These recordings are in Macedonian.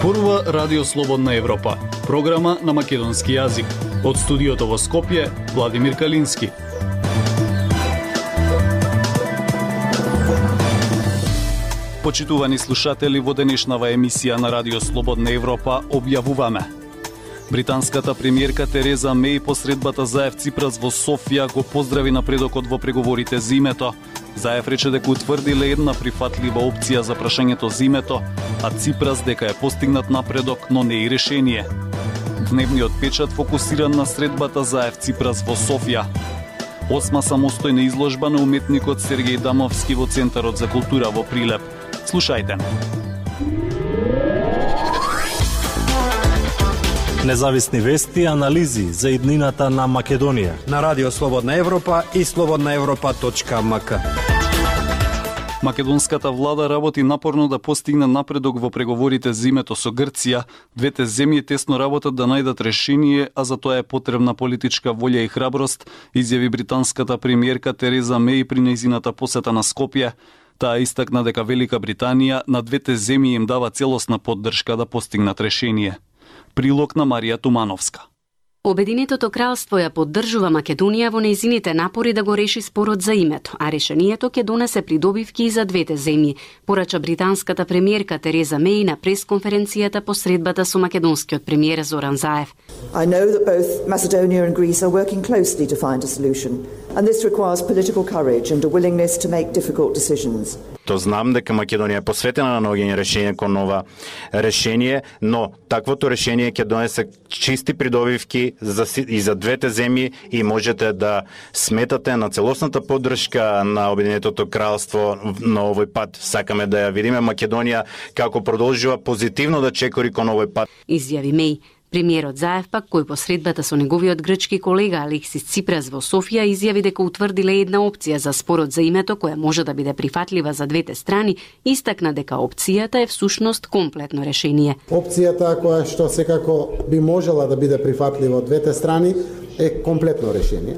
Зборува Радио Слободна Европа, програма на македонски јазик. Од студиото во Скопје, Владимир Калински. Почитувани слушатели, во денешнава емисија на Радио Слободна Европа објавуваме: британската премиерка Тереза Меј посредбата Заев Ципрас во Софија го поздрави напредокот во преговорите за името. Заев рече дека утврдиле една прифатлива опција за прашањето за името, а Ципрас дека е постигнат напредок, но не и решение. Дневниот печат фокусиран на средбата Заев Ципрас во Софија. 8 самостојна изложба на уметникот Сергеј Дамовски во Центарот за култура во Прилеп. Слушајте. Независни вести и анализи за иднината на Македонија на Радио Слободна Европа и slobodnaevropa.mk. Македонската влада работи напорно да постигне напредок во преговорите за името со Грција. Двете земји тесно работат да најдат решение, а за тоа е потребна политичка волја и храброст, изјави британската премиерка Тереза Меј при нејзината посета на Скопје. Таа истакна дека Велика Британија на двете земји им дава целосна поддршка да постигнат решение. Прилог на Марија Тумановска. Обединетото кралство ја поддржува Македонија во нејзините напори да го реши спорот за името, а решението ќе донесе придобивки и за двете земји, порача британската премиерка Тереза Меј на пресконференцијата по средбата со македонскиот премиер Зоран Заев. I know that both Macedonia and Greece are working closely to find a solution, and this requires political courage and a willingness to make difficult decisions. То знам дека Македонија е посветена на наоѓање решение кон нова решение, но таквото решение ќе донесе чисти придобивки и за двете земји и можете да сметате на целосната поддршка на Обединетото кралство на овој пат. Сакаме да ја видиме Македонија како продолжува позитивно да чекори кон овој пат. Изјави Меј. Премиерот Заев пак, кој по средбата со неговиот грчки колега Алексис Ципрас во Софија, изјави дека утврдиле една опција за спорот за името која може да биде прифатлива за двете страни, истакна дека опцијата е всушност комплетно решение. Опцијата која што секако би можела да биде прифатлива од двете страни е комплетно решение.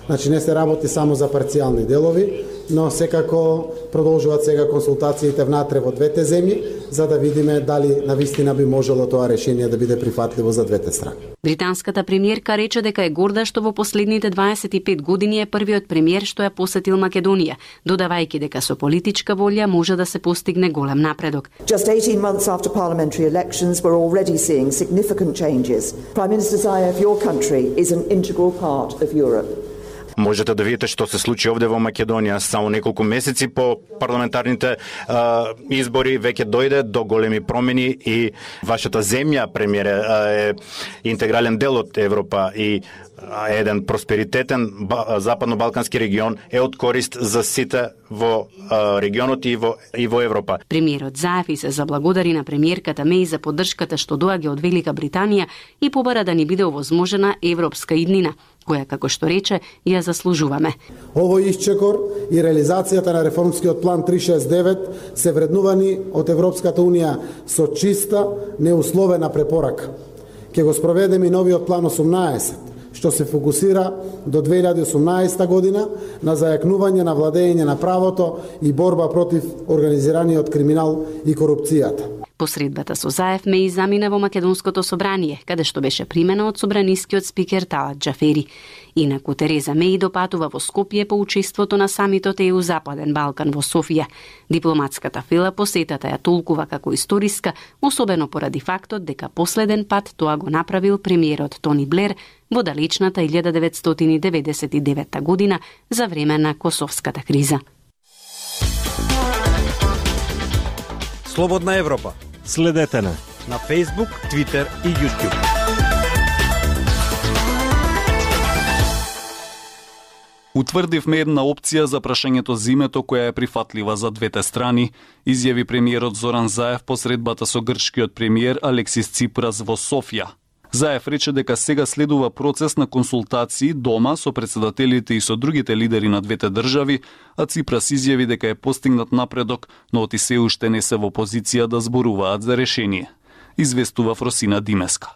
Значи не се работи само за парцијални делови, но секако продолжуваат сега консултациите внатре во двете земји, за да видиме дали навистина би можело тоа решение да биде прифатливо за двете страни. Британската премиерка рече дека е горда што во последните 25 години е првиот премиер што ја посетил Македонија, додавајќи дека со политичка волја може да се постигне голем напредок. Just 18 months after parliamentary elections, we're already seeing significant changes. Prime Minister Zaev, your country is an integral part of Europe. Можете да видите што се случи овде во Македонија. Само неколку месеци по парламентарните избори веќе дојде до големи промени и вашата земја, премиер, е интегрален дел од Европа и еден просперитетен западно-балкански регион е од корист за сите во регионот и во Европа. Премиерот Заев и се заблагодари на премиерката Меј за поддршката што доаѓа од Велика Британија и побара да ни биде овозможена европска иднина, која, како што рече, ја заслужуваме. Овој исчекор и реализацијата на реформскиот план 369 се вреднувани од Европската Унија со чиста, неусловена препорака. Ке го спроведеме и новиот план 18, што се фокусира до 2018 година на зајакнување на владење на правото и борба против организираниот криминал и корупцијата. Посредбата со Заев Меј замина во Македонското собрание, каде што беше примена од собранискиот спикер Талат Џафери. Инаку Тереза Меј допатува во Скопје по учеството на самитот ЕУ Западен Балкан во Софија. Дипломатската фила посетата ја толкува како историска, особено поради фактот дека последен пат тоа го направил премиерот Тони Блер во далечната 1999 година за време на Косовската криза. Слободна Европа. Следете на Facebook, Twitter и YouTube. Утврдивме една опција за прашањето за името која е прифатлива за двете страни, изјави премиерот Зоран Заев по средбата со грчкиот премиер Алексис Ципрас во Софија. Заев рече дека сега следува процес на консултации дома со председателите и со другите лидери на двете држави, а Ципрас изјави дека е постигнат напредок, но оти се уште не се во позиција да зборуваат за решение. Известува Фросина Димеска.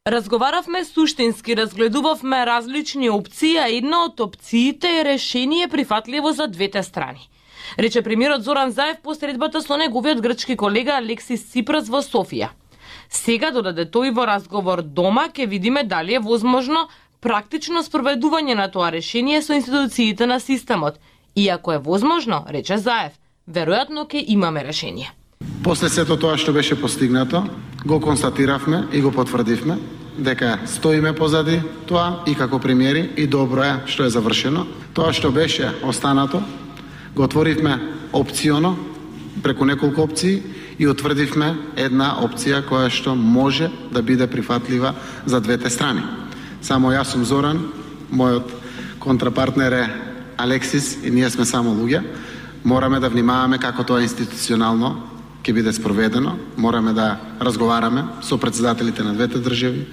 Разговаравме суштински, разгледувавме различни опции, а една од опциите е решение прифатливо за двете страни. Рече премиерот Зоран Заев по средбата со неговиот грчки колега Алексис Ципрас во Софија. Сега додаде тој во разговор дома ќе видиме дали е возможно практично спроведување на тоа решение со институциите на системот. И ако е возможно, рече Заев, веројатно ќе имаме решение. После сето тоа што беше постигнато, го констатиравме и го потврдивме дека стоиме позади тоа и како премиери и добро е што е завршено. Тоа што беше останато, го отворивме опционо преку неколку опции и утврдивме една опција која што може да биде прифатлива за двете страни. Само јас сум Зоран, мојот контрапартнер е Алексис и ние сме само луѓе. Мораме да внимаваме како тоа институционално ќе биде спроведено. Мораме да разговараме со претседателите на двете држави,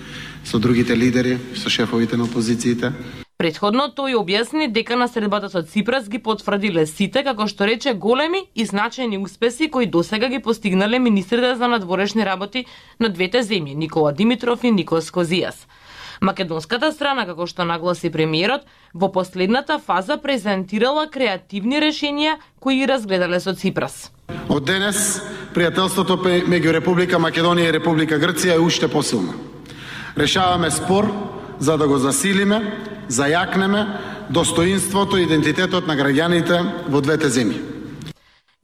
со другите лидери, со шефовите на опозициите. Претходно тој објасни дека наследбата со Ципрас ги потврдиле сите, како што рече, големи и значајни успеси кои досега ги постигнале министрите за надворешни работи на двете земји, Никола Димитров и Никос Козијас. Македонската страна, како што нагласи премиерот, во последната фаза презентирала креативни решенија кои ги разгледале со Ципрас. Од денес, пријателството меѓу Република Македонија и Република Грција е уште посилно. Решаваме спор за да го засилиме, зајакнеме достоинството и идентитетот на граѓаните во двете земји.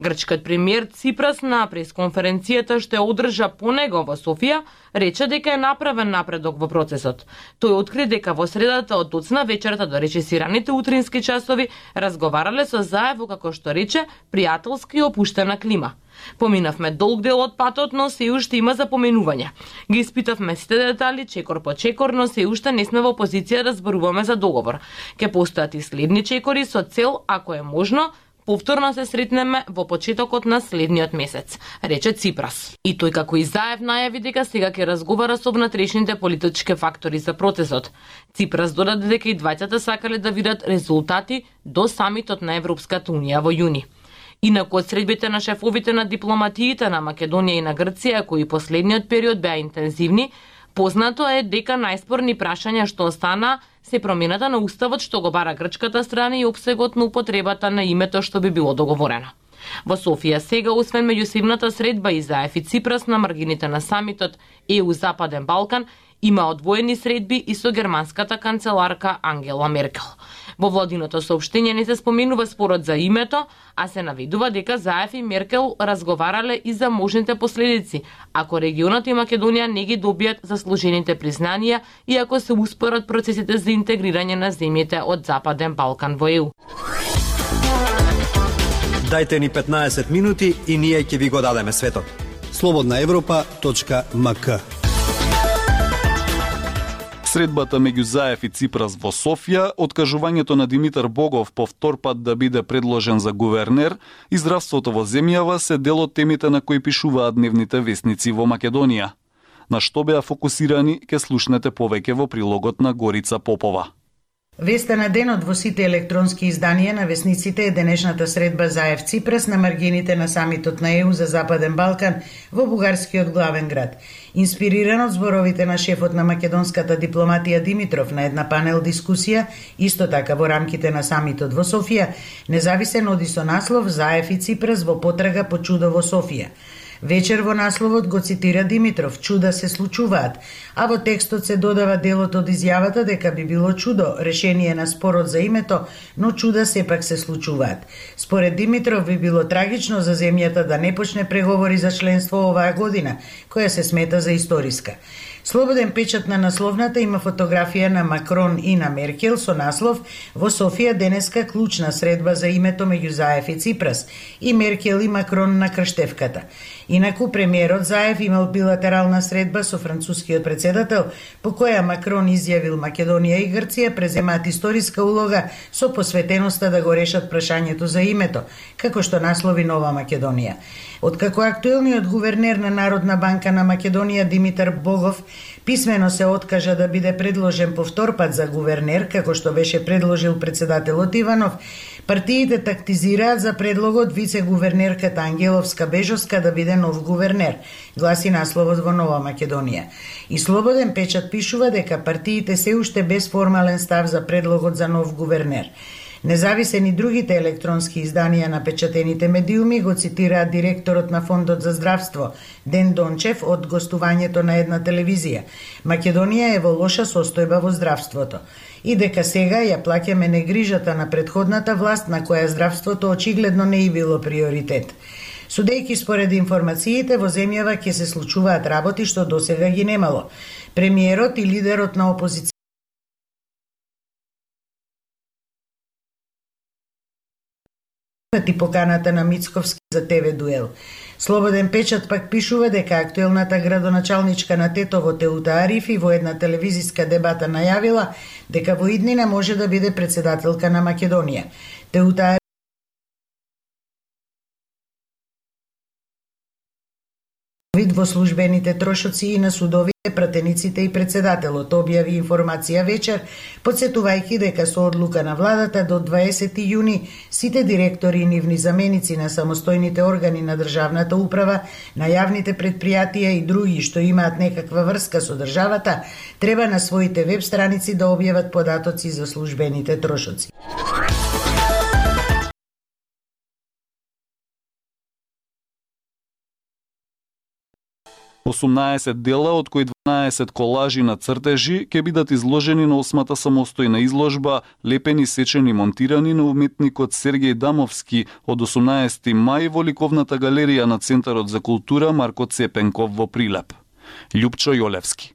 Грчкиот премиер Ципрас на пресконференцијата што ја одржа по него во Софија, рече дека е направен напредок во процесот. Тој откри дека во средата од доцна вечерта до речесираните утрински часови разговарале со Заев во, како што рече, пријателски и опуштена клима. Поминавме долг дел од патот, но се уште има запоменувања. Ги испитавме сите детали, чекор по чекор, но се уште не сме во позиција да зборуваме за договор. Ке постојат и следни чекори со цел, ако е можно, повторно се сретнеме во почетокот на следниот месец, рече Ципрас. И тој како и Заев најави дека сега ќе разговара со внатрешните политички фактори за процесот. Ципрас додаде дека и двајцата сакале да видат резултати до самитот на Европската унија во јуни. Инаку од средбите на шефовите на дипломатиите на Македонија и на Грција, кои последниот период беа интензивни, познато е дека најспорни прашања што остана се промената на уставот што го бара грчката страна и опсегот на употребата на името што би било договорено. Во Софија сега, освен меѓусебната средба и Заев и Ципрас на маргините на самитот ЕУ Западен Балкан, има одвоени средби и со германската канцеларка Ангела Меркел. Во владиното соопштение не се споменува спорот за името, а се наведува дека Заев и Меркел разговарале и за можните последици, ако регионот и Македонија не ги добијат заслужените признанија и ако се успорат процесите за интегрирање на земјите од Западен Балкан во ЕУ. Дајте ни 15 минути и ние ќе ви го дадеме светот. slobodnaevropa.mk. Средбата меѓу Заев и Ципрас во Софија, откажувањето на Димитар Богов по втор пат да биде предложен за гувернер и здравството во земјава се дел од темите на кои пишуваат дневните весници во Македонија. На што беа фокусирани, ке слушнете повеќе во прилогот на Горица Попова. Веста на денот во сите електронски изданија на весниците е денешната средба Заев Ципрас на маргините на самитот на ЕУ за Западен Балкан во бугарскиот главен град. Инспириран од зборовите на шефот на македонската дипломатија Димитров на една панел дискусија, исто така во рамките на самитот во Софија, независен оди со наслов Заев и Ципрас во потрага по чудо во Софија. Вечер во насловот го цитира Димитров: "Чуда се случуваат", а во текстот се додава делот од изјавата дека би било чудо решение на спорот за името, но чуда сепак се случуваат. Според Димитров би било трагично за земјата да не почне преговори за членство оваа година, која се смета за историска. Слободен печат на насловната има фотографија на Макрон и на Меркел со наслов "Во Софија денеска клучна средба за името меѓу Заев и Ципрас" и Меркел и Макрон на крштевката. Инаку премиерот Заев имал билатерална средба со францускиот председател, по која Макрон изјавил Македонија и Грција преземаат историска улога со посветеноста да го решат прашањето за името, како што наслови Нова Македонија. Откако актуелниот гувернер на Народна банка на Македонија Димитар Богов писмено се откажа да биде предложен по втор пат за гувернер, како што беше предложил председателот Иванов, партиите тактизираат за предлогот вице-гувернерката Ангеловска-Бежовска да биде нов гувернер, гласи насловот во Нова Македонија. И Слободен печат пишува дека партиите се уште без формален став за предлогот за нов гувернер. Независени другите електронски изданија на печатените медиуми го цитираат директорот на Фондот за здравство Ден Дончев од гостувањето на една телевизија. Македонија е во лоша состојба во здравството и дека сега ја плаќаме негрижата на претходната власт на која здравството очигледно не и било приоритет. Судејќи според информациите, во земјава ќе се случуваат работи што досега ги немало. Премиерот и лидерот на опозиција и поканата на Мицковски за ТВ дуел. Слободен печат пак пишува дека актуелната градоначалничка на Тетово Теута Арифи во една телевизиска дебата најавила дека во иднина може да биде председателка на Македонија. Теута вид во службените трошоци и на судовите, пратениците и председателот, објави информација вечер, подсетувајќи дека со одлука на владата до 20 јуни сите директори и нивни заменици на самостојните органи на државната управа, на јавните предпријатија и други што имаат некаква врска со државата, треба на своите веб страници да објават податоци за службените трошоци. 18 дела, од кои 12 колажи на цртежи, ќе бидат изложени на 8-та самостојна изложба "Лепени, сечени, монтирани" на уметникот Сергеј Дамовски од 18 мај во ликовната галерија на Центарот за култура Марко Цепенков во Прилеп. Љупчо Јолевски.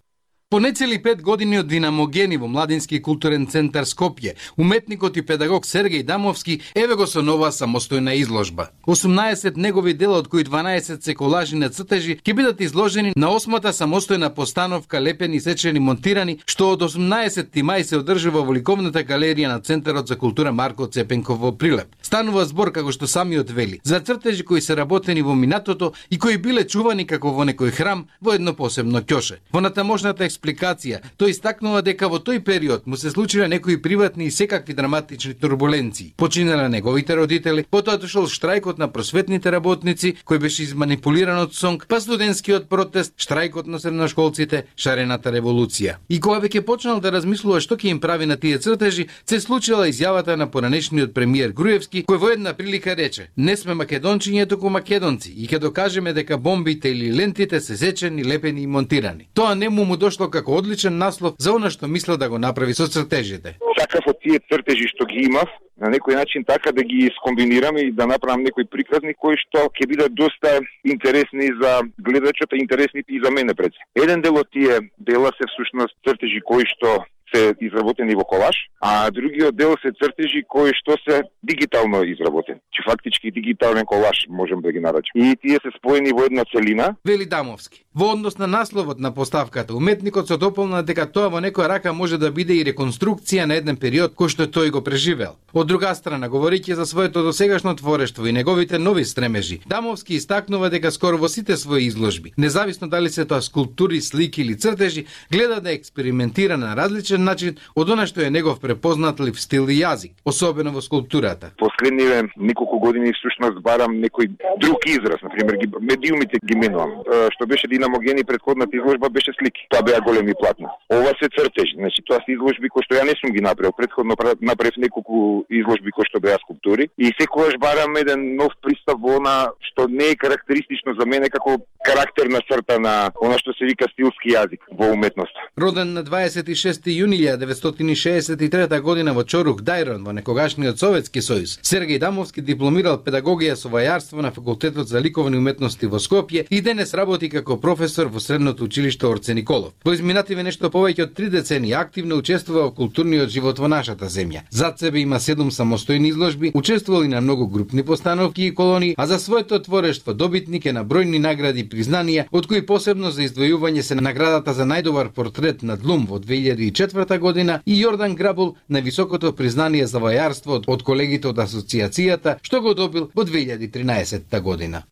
По нецели 5 години од Динамогени во Младински културен центар Скопје, уметникот и педагог Сергеј Дамовски еве го со нова самостојна изложба. 18 негови дела, од кои 12 се колажи на цртежи, ќе бидат изложени на 8-та самостојна постановка "Лепени, сечени, монтирани", што од 18 мај се одржува во ликовната галерија на Центарот за култура Марко Цепенков во Прилеп. Станува збор, како што самиот вели, за цртежи кои се работени во минатото и кои биле чувани како во некој храм во едно посебно ќоше. Во натамошната експликација, тој истакнува дека во тој период му се случиле некои приватни и секакви драматични турбуленции. Починале неговите родители, потоа дошол штрајкот на просветните работници, кој беше изманипулиран од сонг, па студентскиот протест, штрајкот на средношколците, шарената револуција. И кога веќе почнал да размислува што ќе им прави на тие цртежи, се случила изјавата на поранешниот премиер Груевски, кој во една прилика рече: "Не сме македончиња, туку македонци и ќе докажеме дека бомбите или лентите се сечени, лепени и монтирани." Тоа не му дошло како одличен наслов за она што мислел да го направи со цртежите. Сакав од тие цртежи што ги имав, на некој начин така да ги скомбинирам и да направам некои приказни кои што ќе бидат доста интересни за гледачот, интересни и за мене пред. Еден дел од тие дела се всушност цртежи кои што се изработени во колаж, а другиот дел се цртежи кои што се дигитално изработени. Че фактички дигитален колаж можем да ги наречем. И тие се споени во една целина. Вели Дамовски. Во однос на насловот на поставката, уметникот се дополна дека тоа во некоја рака може да биде и реконструкција на еден период кој што тој го преживел. Од друга страна, говорејќи за своето досегашно творештво и неговите нови стремежи, Дамовски истакнува дека скоро во сите своји изложби, независно дали се тоа скулптури, слики или цртежи, гледа да експериментира на различен начин од она што е негов препознатлив стил и јазик, особено во скулптурата. Последниве неколку години всушност барам некој друг израз, например медиумите ги менувам. Што беше Динамогени, предходната изложба беше слики. Тоа беа големи платна. Ова се цртежи, значи тоа се изложби кои што ја не сум ги направил. Предходно направив неколку изложби кои што беа скулптури и секогаш барам еден нов пристап во она што не е карактеристично за мене како карактерна црта на она што се вика стилски јазик во уметноста. Роден на 26 јуни 1963 година во Чорук, Дајрон, во некогашниот Советски сојуз, Сергеј Дамовски дипломирал педагогија со вајарство на Факултетот за ликовни уметности во Скопје и денес работи како професор во Средното училиште Орце Николов. Во изминативе нешто повеќе од 3 децении активно учествува во културниот живот во нашата земја. Зад себе има 7 самостојни изложби, учествувал и на многу групни постановки и колонии, а за своето творештво добитник е на бројни награди и признанија, од кои посебно за издвојување се наградата за најдобар портрет на Длум во 2004 година и Јордан Грабул на високото признание за вајарство од колегите од асоциацијата, што го добил во 2013 година.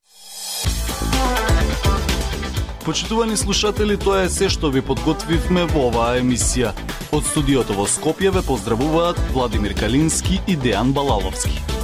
Почитувани слушатели, тоа е се што ви подготвивме во оваа емисија. Од студиото во Скопје ве поздравуваат Владимир Калински и Дејан Балаловски.